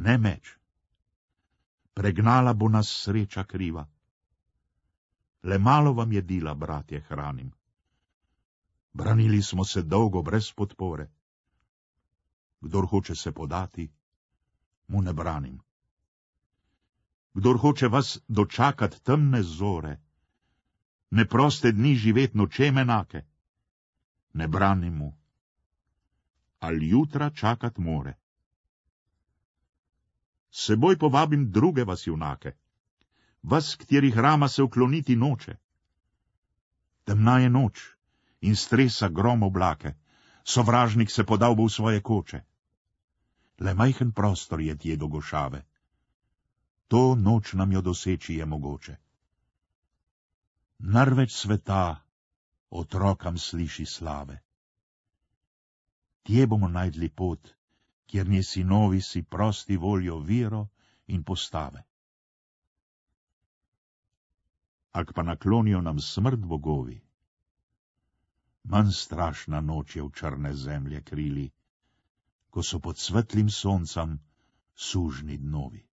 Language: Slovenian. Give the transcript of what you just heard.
ne meč. Pregnala bo nas sreča kriva. Le malo vam jedila, bratje, hranim. Branili smo se dolgo brez podpore. Kdor hoče se podati, mu ne branim. Kdor hoče vas dočakat temne zore, neproste dni živet nočem enake, ne branim mu, ali jutra čakat more. S seboj povabim druge vas junake, vas, katerih rama se ukloniti noče. Temna je noč in stresa grom oblake, sovražnik se podal bo v svoje koče. Le majhen prostor je tje do gošave, to noč nam jo doseči je mogoče. Narveč sveta otrokam sliši slave. Tje bomo najdli pot, kjer nje sinovi si prosti voljo vero in postave. Ak pa naklonijo nam smrt bogovi, manj strašna noč je v črne zemlje krili, ko so pod svetlim soncem sužni dnovi.